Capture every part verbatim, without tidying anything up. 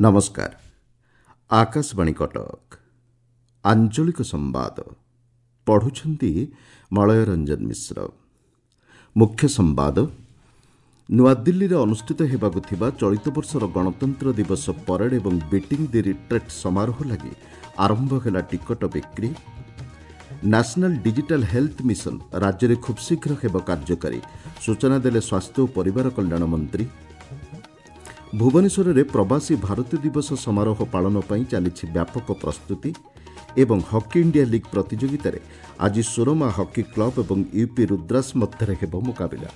ନମସ୍କାର ଆକାଶବାଣୀ କଟକ ଆଞ୍ଚଳିକ ସମ୍ବାଦ ପଢୁଛନ୍ତି ମଳୟ ରଞ୍ଜନ ମିଶ୍ର ମୁଖ୍ୟ ସମ୍ବାଦ ନୂଆଦିଲ୍ଲୀରେ ଅନୁଷ୍ଠିତ ହେବାକୁ ଥିବା ଚଳିତ ବର୍ଷର ଗଣତନ୍ତ୍ର ଦିବସ ପରେଡ୍ ଏବଂ ବିଟିଂ ଦି ରିଟ୍ରେଟ୍ ସମାରୋହ ଲାଗି ଆରମ୍ଭ ହେଲା ଟିକଟ ବିକ୍ରି ନ୍ୟାସନାଲ୍ ଡିଜିଟାଲ୍ ହେଲ୍ଥ ମିଶନ ରାଜ୍ୟରେ ଖୁବ୍ଶୀଘ୍ର ହେବ କାର୍ଯ୍ୟକାରୀ ସୂଚନା ଦେଲେ ସ୍ୱାସ୍ଥ୍ୟ ଓ ପରିବାର କଲ୍ୟାଣ ମନ୍ତ୍ରୀ ଭୁବନେଶ୍ୱରରେ ପ୍ରବାସୀ ଭାରତୀୟ ଦିବସ ସମାରୋହ ପାଳନ ପାଇଁ ଚାଲିଛି ବ୍ୟାପକ ପ୍ରସ୍ତୁତି ଏବଂ ହକି ଇଣ୍ଡିଆ ଲିଗ୍ ପ୍ରତିଯୋଗିତାରେ ଆଜି ସୁରମା ହକି କ୍ଲବ୍ ଏବଂ ୟୁପି ରୁଦ୍ରାସ ମଧ୍ୟରେ ହେବ ମୁକାବିଲା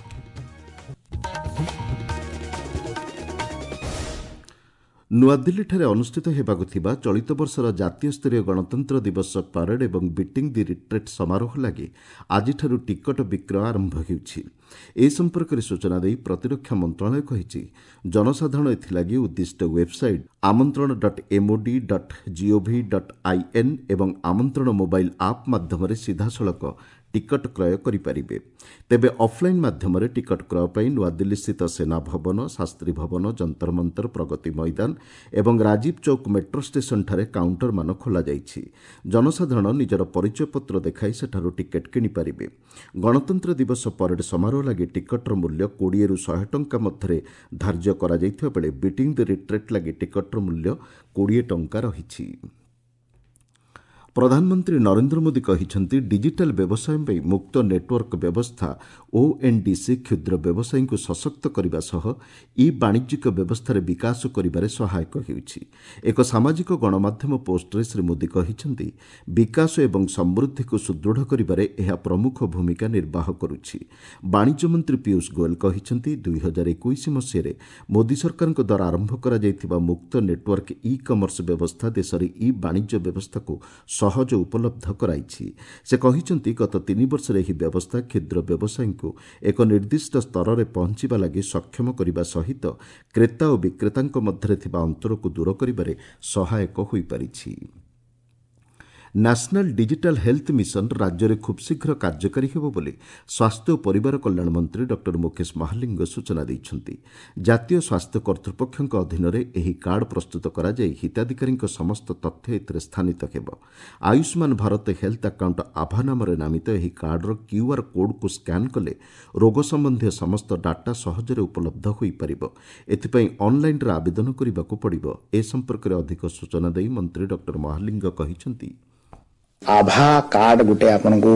ନୂଆଦିଲ୍ଲୀଠାରେ ଅନୁଷ୍ଠିତ ହେବାକୁ ଥିବା ଚଳିତ ବର୍ଷର ଜାତୀୟ ସ୍ତରୀୟ ଗଣତନ୍ତ୍ର ଦିବସ ପରେଡ୍ ଏବଂ ବିଟିଂ ଦି ରିଟ୍ରେଟ୍ ସମାରୋହ ଲାଗି ଆଜିଠାରୁ ଟିକଟ ବିକ୍ରୟ ଆରମ୍ଭ ହେଉଛି ଏ ସମ୍ପର୍କରେ ସୂଚନା ଦେଇ ପ୍ରତିରକ୍ଷା ମନ୍ତ୍ରଣାଳୟ କହିଛି ଜନସାଧାରଣ ଏଥିଲାଗି ଉଦ୍ଦିଷ୍ଟ ୱେବ୍ସାଇଟ୍ ଆମନ୍ତ୍ରଣ dot MOD dot GOV dot IN ଏବଂ ଆମନ୍ତ୍ରଣ ମୋବାଇଲ୍ ଆପ୍ ମାଧ୍ୟମରେ ସିଧାସଳଖ ଟିକଟ କ୍ରୟ କରିପାରିବେ ତେବେ ଅଫ୍ଲାଇନ୍ ମାଧ୍ୟମରେ ଟିକଟ କ୍ରୟ ପାଇଁ ନୂଆଦିଲ୍ଲୀସ୍ଥିତ ସେନା ଭବନ ଶାସ୍ତ୍ରୀ ଭବନ ଯନ୍ତରମନ୍ତର ପ୍ରଗତି ମଇଦାନ ଏବଂ ରାଜୀବ ଚୌକ ମେଟ୍ରୋ ଷ୍ଟେସନଠାରେ କାଉଣ୍ଟରମାନ ଖୋଲାଯାଇଛି ଜନସାଧାରଣ ନିଜର ପରିଚୟପତ୍ର ଦେଖାଇ ସେଠାରୁ ଟିକେଟ୍ କିଣିପାରିବେ ଗଣତନ୍ତ୍ର ଦିବସ ପରେଡ୍ ସମାରୋହ ଲାଗି ଟିକଟର ମୂଲ୍ୟ କୋଡ଼ିଏରୁ ଶହେ ଟଙ୍କା ମଧ୍ୟରେ ଧାର୍ଯ୍ୟ କରାଯାଇଥିବା ବେଳେ ବିଟିଂ ଦି ରିଟ୍ରେଟ୍ ଲାଗି ଟିକଟର ମୂଲ୍ୟ କୋଡ଼ିଏ ଟଙ୍କା ରହିଛି ପ୍ରଧାନମନ୍ତ୍ରୀ ନରେନ୍ଦ୍ର ମୋଦି କହିଛନ୍ତି ଡିଜିଟାଲ୍ ବ୍ୟବସାୟ ପାଇଁ ମୁକ୍ତ ନେଟୱାର୍କ ବ୍ୟବସ୍ଥା ଓଏନ୍ଡିସି କ୍ଷୁଦ୍ର ବ୍ୟବସାୟୀଙ୍କୁ ସଶକ୍ତ କରିବା ସହ ଇ ବାଣିଜ୍ୟିକ ବ୍ୟବସ୍ଥାରେ ବିକାଶ କରିବାରେ ସହାୟକ ହେଉଛି ଏକ ସାମାଜିକ ଗଣମାଧ୍ୟମ ପୋଷ୍ଟରେ ଶ୍ରୀ ମୋଦି କହିଛନ୍ତି ବିକାଶ ଏବଂ ସମୃଦ୍ଧିକୁ ସୁଦୃଢ଼ କରିବାରେ ଏହା ପ୍ରମୁଖ ଭୂମିକା ନିର୍ବାହ କରୁଛି ବାଣିଜ୍ୟ ମନ୍ତ୍ରୀ ପୀୟୁଷ ଗୋଏଲ କହିଛନ୍ତି ଦୁଇହଜାର ଏକୋଇଶ ମସିହାରେ ମୋଦି ସରକାରଙ୍କ ଦ୍ୱାରା ଆରମ୍ଭ କରାଯାଇଥିବା ମୁକ୍ତ ନେଟୱାର୍କ ଇ କମର୍ସ ବ୍ୟବସ୍ଥା ଦେଶରେ ଇ ବାଣିଜ୍ୟ ବ୍ୟବସ୍ଥାକୁ ସହଜ ଉପଲବ୍ଧ କରାଇଛି ସେ କହିଛନ୍ତି ଗତ ତିନି ବର୍ଷରେ ଏହି ବ୍ୟବସ୍ଥା କ୍ଷୁଦ୍ର ବ୍ୟବସାୟୀଙ୍କୁ ଏକ ନିର୍ଦ୍ଦିଷ୍ଟ ସ୍ତରରେ ପହଞ୍ଚିବା ଲାଗି ସକ୍ଷମ କରିବା ସହିତ କ୍ରେତା ଓ ବିକ୍ରେତାଙ୍କ ମଧ୍ୟରେ ଥିବା ଅନ୍ତରକୁ ଦୂର କରିବାରେ ସହାୟକ ହୋଇପାରିଛି ନ୍ୟାସନାଲ୍ ଡିଜିଟାଲ୍ ହେଲ୍ଥ ମିଶନ ରାଜ୍ୟରେ ଖୁବ୍ଶୀଘ୍ର କାର୍ଯ୍ୟକାରୀ ହେବ ବୋଲି ସ୍ୱାସ୍ଥ୍ୟ ଓ ପରିବାର କଲ୍ୟାଣ ମନ୍ତ୍ରୀ ଡକ୍ଟର ମୁକେଶ ମହାଲିଙ୍ଗ ସୂଚନା ଦେଇଛନ୍ତି ଜାତୀୟ ସ୍ୱାସ୍ଥ୍ୟ କର୍ତ୍ତୃପକ୍ଷଙ୍କ ଅଧୀନରେ ଏହି କାର୍ଡ଼ ପ୍ରସ୍ତୁତ କରାଯାଇ ହିତାଧିକାରୀଙ୍କ ସମସ୍ତ ତଥ୍ୟ ଏଥିରେ ସ୍ଥାନିତ ହେବ ଆୟୁଷ୍ମାନ ଭାରତ ହେଲ୍ଥ ଆକାଉଣ୍ଟ ଆଭା ନାମରେ ନାମିତ ଏହି କାର୍ଡ଼ର କ୍ୟୁଆର୍ କୋଡ଼୍କୁ ସ୍କାନ୍ କଲେ ରୋଗ ସମ୍ବନ୍ଧୀୟ ସମସ୍ତ ଡାଟା ସହଜରେ ଉପଲବ୍ଧ ହୋଇପାରିବ ଏଥିପାଇଁ ଅନ୍ଲାଇନ୍ରେ ଆବେଦନ କରିବାକୁ ପଡ଼ିବ ଏ ସମ୍ପର୍କରେ ଅଧିକ ସୂଚନା ଦେଇ ମନ୍ତ୍ରୀ ଡକ୍ଟର ମହାଲିଙ୍ଗ କହିଛନ୍ତି ଆଭା କାର୍ଡ ଗୋଟେ ଆପଣଙ୍କୁ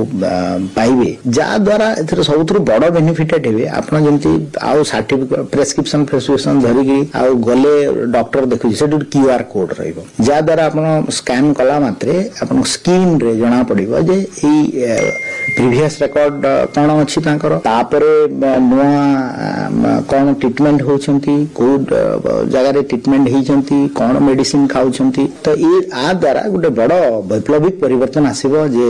ପାଇବେ ଯାହାଦ୍ୱାରା ଏଥିରେ ସବୁଥିରୁ ବଡ଼ ବେନିଫିଟେଡ୍ ହେବେ ଆପଣ ଯେମିତି ଆଉ ସାର୍ଟିଫିକେଟ ପ୍ରେସକ୍ରିପସନ ଫ୍ରେସକ୍ରିପସନ ଧରିକି ଆଉ ଗଲେ ଡକ୍ଟର ଦେଖୁଛି ସେଠି ଗୋଟେ କ୍ୟୁ ଆର୍ କୋଡ୍ ରହିବ ଯାହାଦ୍ୱାରା ଆପଣ ସ୍କାନ୍ କଲା ମାତ୍ରେ ଆପଣଙ୍କ ସ୍କ୍ରିନରେ ଜଣା ପଡ଼ିବ ଯେ ଏଇ ପ୍ରିଭିୟସ୍ ରେକର୍ଡ କ'ଣ ଅଛି ତାଙ୍କର ତାପରେ ନୂଆ କ'ଣ ଟ୍ରିଟମେଣ୍ଟ ହେଉଛନ୍ତି କୋଉ ଜାଗାରେ ଟ୍ରିଟମେଣ୍ଟ ହେଇଛନ୍ତି କ'ଣ ମେଡିସିନ ଖାଉଛନ୍ତି ତ ଏ ଆ ଦ୍ୱାରା ଗୋଟେ ବଡ଼ ବୈପ୍ଳବିକ ପରିବର୍ତ୍ତନ ଆସିବ ଯେ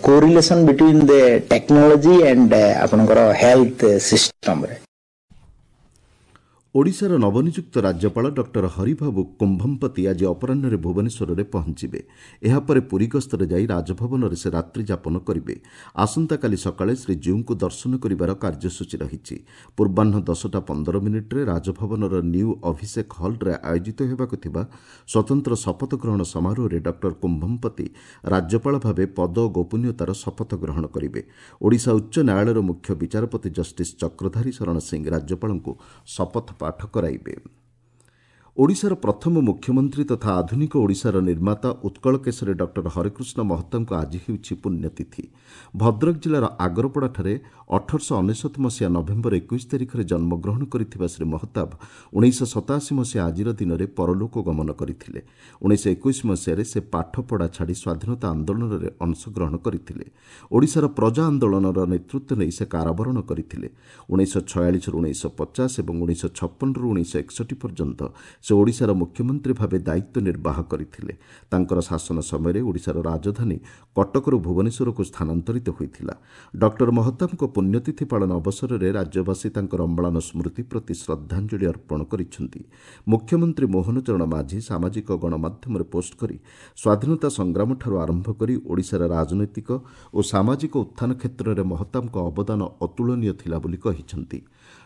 correlation between the technology and ଆପଣଙ୍କର ହେଲ୍ଥ ସିଷ୍ଟମରେ ଓଡ଼ିଶାର ନବନିଯୁକ୍ତ ରାଜ୍ୟପାଳ ଡକ୍ଟର ହରିବାବୁ କୁମ୍ଭମ୍ପତି ଆଜି ଅପରାହ୍ନରେ ଭୁବନେଶ୍ୱରରେ ପହଞ୍ଚିବେ ଏହାପରେ ପୁରୀ ଗସ୍ତରେ ଯାଇ ରାଜଭବନରେ ସେ ରାତ୍ରି ଯାପନ କରିବେ ଆସନ୍ତାକାଲି ସକାଳେ ଶ୍ରୀଜୀଉଙ୍କୁ ଦର୍ଶନ କରିବାର କାର୍ଯ୍ୟସୂଚୀ ରହିଛି ପୂର୍ବାହ୍ନ ଦଶଟା ପନ୍ଦର ମିନିଟ୍ରେ ରାଜଭବନର ନ୍ୟୁ ଅଭିଷେକ ହଲ୍ରେ ଆୟୋଜିତ ହେବାକୁ ଥିବା ସ୍ୱତନ୍ତ୍ର ଶପଥ ଗ୍ରହଣ ସମାରୋହରେ ଡକ୍ଟର କୁମ୍ଭମ୍ପତି ରାଜ୍ୟପାଳ ଭାବେ ପଦ ଓ ଗୋପନୀୟତାର ଶପଥ ଗ୍ରହଣ କରିବେ ଓଡ଼ିଶା ଉଚ୍ଚ ନ୍ୟାୟାଳୟର ମୁଖ୍ୟ ବିଚାରପତି ଜଷ୍ଟିସ୍ ଚକ୍ରଧାରୀ ଶରଣ ସିଂ ରାଜ୍ୟପାଳଙ୍କୁ ଶପଥ ପାଠ କରାଇବେ ଓଡ଼ିଶାର ପ୍ରଥମ ମୁଖ୍ୟମନ୍ତ୍ରୀ ତଥା ଆଧୁନିକ ଓଡ଼ିଶାର ନିର୍ମାତା ଉତ୍କଳ କେଶରୀ ଡକ୍ଟର ହରେକୃଷ୍ଣ ମହତାବଙ୍କ ଆଜି ହେଉଛି ପୁଣ୍ୟତିଥି ଭଦ୍ରକ ଜିଲ୍ଲାର ଆଗରପଡ଼ାଠାରେ ଅଠରଶହ ଅନେଶତ ମସିହା ନଭେମ୍ବର ଏକୋଇଶ ତାରିଖରେ ଜନ୍ମଗ୍ରହଣ କରିଥିବା ଶ୍ରୀ ମହତାବ ଉଣେଇଶହ ସତାଅଶୀ ମସିହା ଆଜିର ଦିନରେ ପରଲୋକ ଗମନ କରିଥିଲେ ଉଣେଇଶହ ଏକୋଇଶ ମସିହାରେ ସେ ପାଠପଢ଼ା ଛାଡ଼ି ସ୍ୱାଧୀନତା ଆନ୍ଦୋଳନରେ ଅଂଶଗ୍ରହଣ କରିଥିଲେ ଓଡ଼ିଶାର ପ୍ରଜା ଆନ୍ଦୋଳନର ନେତୃତ୍ୱ ନେଇ ସେ କାରାବରଣ କରିଥିଲେ ଉଣେଇଶହ ଛୟାଳିଶରୁ ଉଣେଇଶହ ପଚାଶ ଏବଂ ଉଣେଇଶହ ଛପନରୁ ଉଣେଇଶହ ଏକଷଠି ପର୍ଯ୍ୟନ୍ତ ସେ ଓଡ଼ିଶାର ମୁଖ୍ୟମନ୍ତ୍ରୀ ଭାବେ ଦାୟିତ୍ୱ ନିର୍ବାହ କରିଥିଲେ। ତାଙ୍କର ଶାସନ ସମୟରେ ଓଡ଼ିଶାର ରାଜଧାନୀ କଟକରୁ ଭୁବନେଶ୍ୱରକୁ ସ୍ଥାନାନ୍ତରିତ ହୋଇଥିଲା। ଡକ୍ଟର ମହତାବଙ୍କ ପୁଣ୍ୟତିଥି ପାଳନ ଅବସରରେ ରାଜ୍ୟବାସୀ ତାଙ୍କର ଅମ୍ଳାନ ସ୍ମୃତି ପ୍ରତି ଶ୍ରଦ୍ଧାଞ୍ଜଳି ଅର୍ପଣ କରିଛନ୍ତି। ମୁଖ୍ୟମନ୍ତ୍ରୀ ମୋହନ ଚରଣ ମାଝୀ ସାମାଜିକ ଗଣମାଧ୍ୟମରେ ପୋଷ୍ଟ କରି ସ୍ୱାଧୀନତା ସଂଗ୍ରାମଠାରୁ ଆରମ୍ଭ କରି ଓଡ଼ିଶାର ରାଜନୈତିକ ଓ ସାମାଜିକ ଉତ୍ଥାନ କ୍ଷେତ୍ରରେ ମହତାବଙ୍କ ଅବଦାନ ଅତୁଳନୀୟ ଥିଲା ବୋଲି କହିଛନ୍ତି।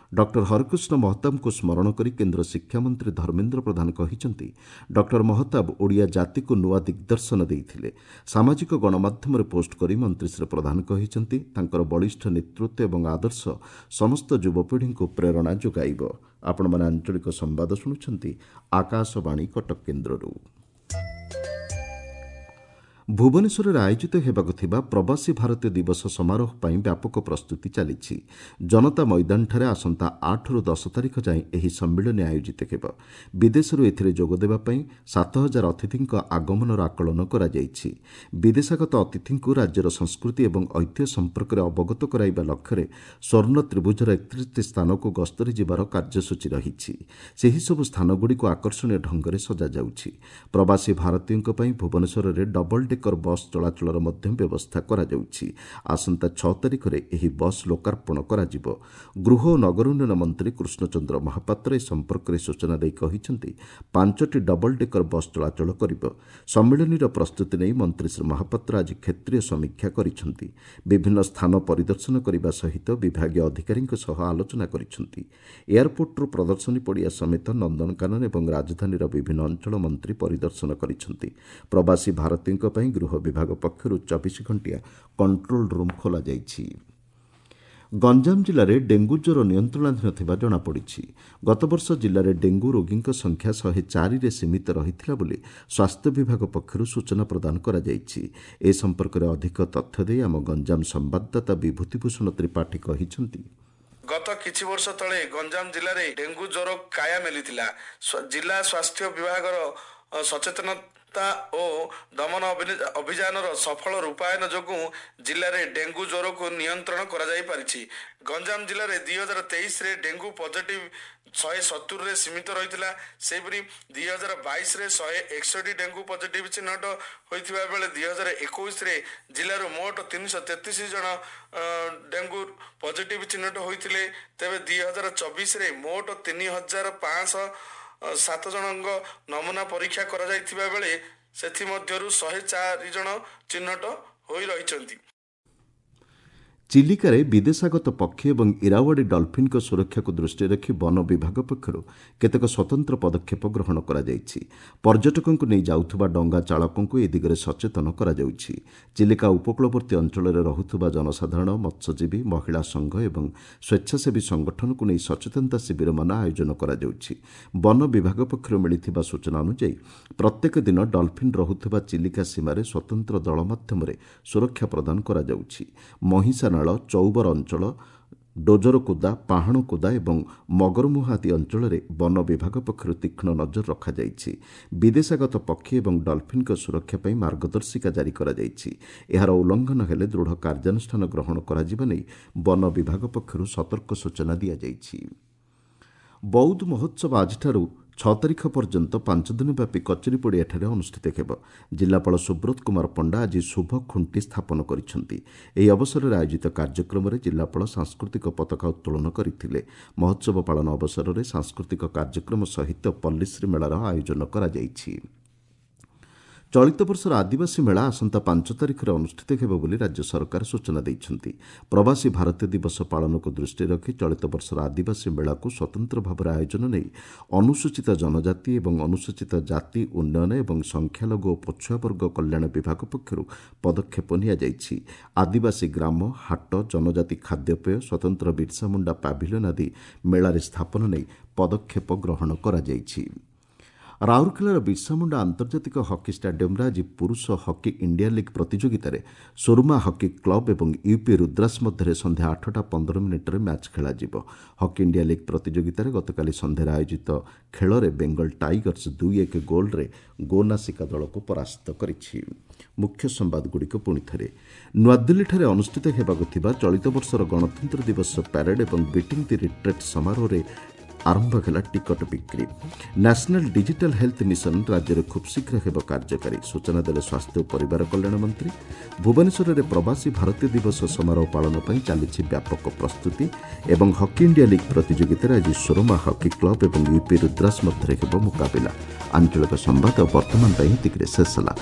ଡକ୍ଟର ହରେକୃଷ୍ଣ ମହତାବଙ୍କୁ ସ୍ମରଣ କରି କେନ୍ଦ୍ର ଶିକ୍ଷାମନ୍ତ୍ରୀ ଧର୍ମେନ୍ଦ୍ର ପ୍ରଧାନ କହିଛନ୍ତି, ଡକ୍ଟର ମହତାବ ଓଡ଼ିଆ ଜାତିକୁ ନୂଆ ଦିଗ୍ଦର୍ଶନ ଦେଇଥିଲେ। ସାମାଜିକ ଗଣମାଧ୍ୟମରେ ପୋଷ୍ଟ କରି ମନ୍ତ୍ରୀ ଶ୍ରୀ ପ୍ରଧାନ କହିଛନ୍ତି, ତାଙ୍କର ବଳିଷ୍ଠ ନେତୃତ୍ୱ ଏବଂ ଆଦର୍ଶ ସମସ୍ତ ଯୁବପିଢ଼ିଙ୍କୁ ପ୍ରେରଣା ଯୋଗାଇବ। ଆପଣମାନେ ଆଞ୍ଚଳିକ ସମ୍ବାଦ ଶୁଣୁଛନ୍ତି ଆକାଶବାଣୀ କଟକ କେନ୍ଦ୍ରରୁ। ଭୁବନେଶ୍ୱରରେ ଆୟୋଜିତ ହେବାକୁ ଥିବା ପ୍ରବାସୀ ଭାରତୀୟ ଦିବସ ସମାରୋହ ପାଇଁ ବ୍ୟାପକ ପ୍ରସ୍ତୁତି ଚାଲିଛି। ଜନତା ମଇଦାନଠାରେ ଆସନ୍ତା ଆଠରୁ ଦଶ ତାରିଖ ଯାଏଁ ଏହି ସମ୍ମିଳନୀ ଆୟୋଜିତ ହେବ। ବିଦେଶରୁ ଏଥିରେ ଯୋଗଦେବା ପାଇଁ ସାତ ହଜାର ଅତିଥିଙ୍କ ଆଗମନର ଆକଳନ କରାଯାଇଛି। ବିଦେଶାଗତ ଅତିଥିଙ୍କୁ ରାଜ୍ୟର ସଂସ୍କୃତି ଏବଂ ଐତିହ୍ୟ ସମ୍ପର୍କରେ ଅବଗତ କରାଇବା ଲକ୍ଷ୍ୟରେ ସ୍ୱର୍ଣ୍ଣ ତ୍ରିଭୁଜର ଏକତିରିଶଟି ସ୍ଥାନକୁ ଗସ୍ତରେ ଯିବାର କାର୍ଯ୍ୟସୂଚୀ ରହିଛି। ସେହିସବୁ ସ୍ଥାନଗୁଡ଼ିକୁ ଆକର୍ଷଣୀୟ ଢଙ୍ଗରେ ସଜାଯାଉଛି। ପ୍ରବାସୀ ଭାରତୀୟଙ୍କ ପାଇଁ ଭୁବନେଶ୍ୱରରେ ଡବଲ ଡେକର ବସ୍ ଚଳାଚଳର ମଧ୍ୟ ବ୍ୟବସ୍ଥା କରାଯାଉଛି। ଆସନ୍ତା ଛଅ ତାରିଖରେ ଏହି ବସ୍ ଲୋକାର୍ପଣ କରାଯିବ। ଗୃହ ଓ ନଗର ଉନ୍ନୟନ ମନ୍ତ୍ରୀ କୃଷ୍ଣଚନ୍ଦ୍ର ମହାପାତ୍ର ଏ ସମ୍ପର୍କରେ ସୂଚନା ଦେଇ କହିଛନ୍ତି, ପାଞ୍ଚଟି ଡବଲ ଡେକର ବସ୍ ଚଳାଚଳ କରିବ। ସମ୍ମିଳନୀର ପ୍ରସ୍ତୁତି ନେଇ ମନ୍ତ୍ରୀ ଶ୍ରୀ ମହାପାତ୍ର ଆଜି କ୍ଷେତ୍ରୀୟ ସମୀକ୍ଷା କରିଛନ୍ତି। ବିଭିନ୍ନ ସ୍ଥାନ ପରିଦର୍ଶନ କରିବା ସହିତ ବିଭାଗୀୟ ଅଧିକାରୀଙ୍କ ସହ ଆଲୋଚନା କରିଛନ୍ତି। ଏୟାରପୋର୍ଟରୁ ପ୍ରଦର୍ଶନୀ ପଡ଼ିଆ ସମେତ ନନ୍ଦନକାନନ ଏବଂ ରାଜଧାନୀର ବିଭିନ୍ନ ଅଞ୍ଚଳ ମନ୍ତ୍ରୀ ପରିଦର୍ଶନ କରିଛନ୍ତି। ପ୍ରବାସୀ ଭାରତୀୟଙ୍କ ପାଇଁ ଗୃହ ବିଭାଗ ପକ୍ଷରୁ ଚବିଶ ଘଣ୍ଟିଆ କଣ୍ଟ୍ରୋଲ ରୁମ୍ ଖୋଲାଯାଇଛି। ଗଞ୍ଜାମ ଜିଲ୍ଲାରେ ଡେଙ୍ଗୁ ଜ୍ୱର ନିୟନ୍ତ୍ରଣାଧୀନ ଥିବା ଜଣାପଡ଼ିଛି। ଗତବର୍ଷ ଜିଲ୍ଲାରେ ଡେଙ୍ଗୁ ରୋଗୀଙ୍କ ସଂଖ୍ୟା ଶହେ ଚାରିରେ ସୀମିତ ରହିଥିଲା ବୋଲି ସ୍ୱାସ୍ଥ୍ୟ ବିଭାଗ ପକ୍ଷରୁ ସୂଚନା ପ୍ରଦାନ କରାଯାଇଛି। ଏ ସମ୍ପର୍କରେ ଅଧିକ ତଥ୍ୟ ଦେଇ ଆମ ଗଞ୍ଜାମ ସମ୍ବାଦଦାତା ବିଭୂତିଭୂଷଣ ତ୍ରିପାଠୀ କହିଛନ୍ତି, ଗତ କିଛି ବର୍ଷ ତଳେ ଗଞ୍ଜାମ ଜିଲ୍ଲାରେ ଡେଙ୍ଗୁ ଜ୍ୱର କାୟା ମେଲିଥିଲା। ଜିଲ୍ଲା ସ୍ୱାସ୍ଥ୍ୟ ବିଭାଗର ସଚେତନତା ଓ ଦମନ ଅଭିଯାନର ସଫଳ ରୂପାୟନ ଯୋଗୁଁ ଜିଲ୍ଲାରେ ଡେଙ୍ଗୁ ଜ୍ୱରକୁ ନିୟନ୍ତ୍ରଣ କରାଯାଇପାରିଛି। ଗଞ୍ଜାମ ଜିଲ୍ଲାରେ ଦୁଇ ହଜାର ତେଇଶରେ ଡେଙ୍ଗୁ ପଜିଟିଭ ଶହେ ସତୁରିରେ ସୀମିତ ରହିଥିଲା। ସେହିପରି ଦୁଇ ହଜାର ବାଇଶରେ ଶହେ ଏକଷଠି ଡେଙ୍ଗୁ ପଜିଟିଭ ଚିହ୍ନଟ ହୋଇଥିବା ବେଳେ ଦୁଇ ହଜାର ଏକୋଇଶରେ ଜିଲ୍ଲାରୁ ମୋଟ ତିନିଶହ ତେତିଶ ଜଣ ଡେଙ୍ଗୁ ପଜିଟିଭ ଚିହ୍ନଟ ହୋଇଥିଲେ। ତେବେ ଦୁଇ ହଜାର ଚବିଶରେ ମୋଟ ତିନି ହଜାର ପାଞ୍ଚଶହ ସାତ ଜଣଙ୍କ ନମୁନା ପରୀକ୍ଷା କରାଯାଇଥିବା ବେଳେ ସେଥିମଧ୍ୟରୁ ଶହେ ଚାରି ଜଣ ଚିହ୍ନଟ ହୋଇ ରହିଛନ୍ତି। ଚିଲିକାରେ ବିଦେଶାଗତ ପକ୍ଷୀ ଏବଂ ଇରାୱାଡ଼ି ଡଲଫିନ୍ଙ୍କ ସୁରକ୍ଷାକୁ ଦୃଷ୍ଟିରେ ରଖି ବନ ବିଭାଗ ପକ୍ଷରୁ କେତେକ ସ୍ୱତନ୍ତ୍ର ପଦକ୍ଷେପ ଗ୍ରହଣ କରାଯାଇଛି। ପର୍ଯ୍ୟଟକଙ୍କୁ ନେଇ ଯାଉଥିବା ଡଙ୍ଗା ଚାଳକଙ୍କୁ ଏ ଦିଗରେ ସଚେତନ କରାଯାଉଛି। ଚିଲିକା ଉପକୂଳବର୍ତ୍ତୀ ଅଞ୍ଚଳରେ ରହୁଥିବା ଜନସାଧାରଣ, ମତ୍ସ୍ୟଜୀବୀ, ମହିଳା ସଂଘ ଏବଂ ସ୍ୱେଚ୍ଛାସେବୀ ସଂଗଠନକୁ ନେଇ ସଚେତନତା ଶିବିରମାନ ଆୟୋଜନ କରାଯାଉଛି। ବନ ବିଭାଗ ପକ୍ଷରୁ ମିଳିଥିବା ସୂଚନା ଅନୁଯାୟୀ ପ୍ରତ୍ୟେକ ଦିନ ଡଲଫିନ୍ ରହୁଥିବା ଚିଲିକା ସୀମାରେ ସ୍ୱତନ୍ତ୍ର ଦଳ ମାଧ୍ୟମରେ ସୁରକ୍ଷା ପ୍ରଦାନ କରାଯାଉଛି। ମହିଷା ନାଳ, ଚୌବର ଅଞ୍ଚଳ, ଡୋଜରକୁଦା, ପାହାଣକୁଦା ଏବଂ ମଗରମୁହାଁ ଆଦି ଅଞ୍ଚଳରେ ବନ ବିଭାଗ ପକ୍ଷରୁ ତୀକ୍ଷ୍ଣ ନଜର ରଖାଯାଇଛି। ବିଦେଶାଗତ ପକ୍ଷୀ ଏବଂ ଡଲଫିନ୍ଙ୍କ ସୁରକ୍ଷା ପାଇଁ ମାର୍ଗଦର୍ଶିକା ଜାରି କରାଯାଇଛି। ଏହାର ଉଲ୍ଲଂଘନ ହେଲେ ଦୃଢ଼ କାର୍ଯ୍ୟାନୁଷ୍ଠାନ ଗ୍ରହଣ କରାଯିବା ନେଇ ବନ ବିଭାଗ ପକ୍ଷରୁ ସତର୍କ ସୂଚନା ଦିଆଯାଇଛି। ବୌଦ୍ଧ ମହୋତ୍ସବ ଆଜିଠାରୁ ଛଅ ତାରିଖ ପର୍ଯ୍ୟନ୍ତ ପାଞ୍ଚ ଦିନ ବ୍ୟାପୀ କଚେରୀ ପଡ଼ିଆଠାରେ ଅନୁଷ୍ଠିତ ହେବ। ଜିଲ୍ଲାପାଳ ସୁବ୍ରତ କୁମାର ପଣ୍ଡା ଆଜି ଶୁଭ ଖୁଣ୍ଟି ସ୍ଥାପନ କରିଛନ୍ତି। ଏହି ଅବସରରେ ଆୟୋଜିତ କାର୍ଯ୍ୟକ୍ରମରେ ଜିଲ୍ଲାପାଳ ସାଂସ୍କୃତିକ ପତାକା ଉତ୍ତୋଳନ କରିଥିଲେ। ମହୋତ୍ସବ ପାଳନ ଅବସରରେ ସାଂସ୍କୃତିକ କାର୍ଯ୍ୟକ୍ରମ ସହିତ ପଲ୍ଲୀଶ୍ରୀ ମେଳାର ଆୟୋଜନ କରାଯାଇଛି। ଚଳିତ ବର୍ଷର ଆଦିବାସୀ ମେଳା ଆସନ୍ତା ପାଞ୍ଚ ତାରିଖରେ ଅନୁଷ୍ଠିତ ହେବ ବୋଲି ରାଜ୍ୟ ସରକାର ସୂଚନା ଦେଇଛନ୍ତି। ପ୍ରବାସୀ ଭାରତୀୟ ଦିବସ ପାଳନକୁ ଦୃଷ୍ଟିରେ ରଖି ଚଳିତ ବର୍ଷର ଆଦିବାସୀ ମେଳାକୁ ସ୍ୱତନ୍ତ୍ର ଭାବରେ ଆୟୋଜନ ନେଇ ଅନୁସୂଚିତ ଜନଜାତି ଏବଂ ଅନୁସୂଚିତ ଜାତି ଉନ୍ନୟନ ଏବଂ ସଂଖ୍ୟାଲଘୁ ଓ ପଛୁଆ ବର୍ଗ କଲ୍ୟାଣ ବିଭାଗ ପକ୍ଷରୁ ପଦକ୍ଷେପ ନିଆଯାଇଛି। ଆଦିବାସୀ ଗ୍ରାମ, ହାଟ, ଜନଜାତି ଖାଦ୍ୟପେୟ, ସ୍ୱତନ୍ତ୍ର ବିର୍ସା ମୁଣ୍ଡା ପାଭିଲିୟନ ଆଦି ମେଳାରେ ସ୍ଥାପନ ନେଇ ପଦକ୍ଷେପ ଗ୍ରହଣ କରାଯାଇଛି। ରାଉରକେଲାର ବିର୍ସା ମୁଣ୍ଡା ଆନ୍ତର୍ଜାତିକ ହକି ଷ୍ଟାଡିୟମ୍ରେ ଆଜି ପୁରୁଷ ହକି ଇଣ୍ଡିଆ ଲିଗ୍ ପ୍ରତିଯୋଗିତାରେ ସୁରମା ହକି କ୍ଲବ୍ ଏବଂ ୟୁପି ରୁଦ୍ରାସ ମଧ୍ୟରେ ସନ୍ଧ୍ୟା ଆଠଟା ପନ୍ଦର ମିନିଟ୍ରେ ମ୍ୟାଚ୍ ଖେଳାଯିବ। ହକି ଇଣ୍ଡିଆ ଲିଗ୍ ପ୍ରତିଯୋଗିତାରେ ଗତକାଲି ସନ୍ଧ୍ୟାରେ ଆୟୋଜିତ ଖେଳରେ ବେଙ୍ଗଲ ଟାଇଗର୍ସ ଦୁଇ ଏକ ଗୋଲ୍ରେ ଗୋନାସିକା ଦଳକୁ ପରାସ୍ତ କରିଛି। ମୁଖ୍ୟ ସମ୍ବାଦଗୁଡ଼ିକ ପୁଣି ଥରେ। ନୂଆଦିଲ୍ଲୀଠାରେ ଅନୁଷ୍ଠିତ ହେବାକୁ ଥିବା ଚଳିତ ବର୍ଷର ଗଣତନ୍ତ୍ର ଦିବସ ପ୍ୟାରେଡ୍ ଏବଂ ବିଟିଂ ଦି ରିଟ୍ରେଟ୍ ସମାରୋହରେ ଆରମ୍ଭ ହେଲା ଟିକଟ ବିକ୍ରି। ନ୍ୟାସନାଲ ଡିଜିଟାଲ ହେଲ୍ଥ ମିଶନ ରାଜ୍ୟରେ ଖୁବ୍ଶୀଘ୍ର ହେବ କାର୍ଯ୍ୟକାରୀ, ସୂଚନା ଦେଲେ ସ୍ୱାସ୍ଥ୍ୟ ଓ ପରିବାର କଲ୍ୟାଣ ମନ୍ତ୍ରୀ। ଭୁବନେଶ୍ୱରରେ ପ୍ରବାସୀ ଭାରତୀୟ ଦିବସ ସମାରୋହ ପାଳନ ପାଇଁ ଚାଲିଛି ବ୍ୟାପକ ପ୍ରସ୍ତୁତି। ଏବଂ ହକି ଇଣ୍ଡିଆ ଲିଗ୍ ପ୍ରତିଯୋଗିତାରେ ଆଜି ସୋରମା ହକି କ୍ଲବ ଏବଂ ୟୁପି ରୁଦ୍ରାସ ମଧ୍ୟରେ ହେବ ମୁକାବିଲା। ଆଞ୍ଚଳିକ ସମ୍ବାଦ ବର୍ତ୍ତମାନ ପାଇଁ ଏତିକିରେ ଶେଷ ହେଲା।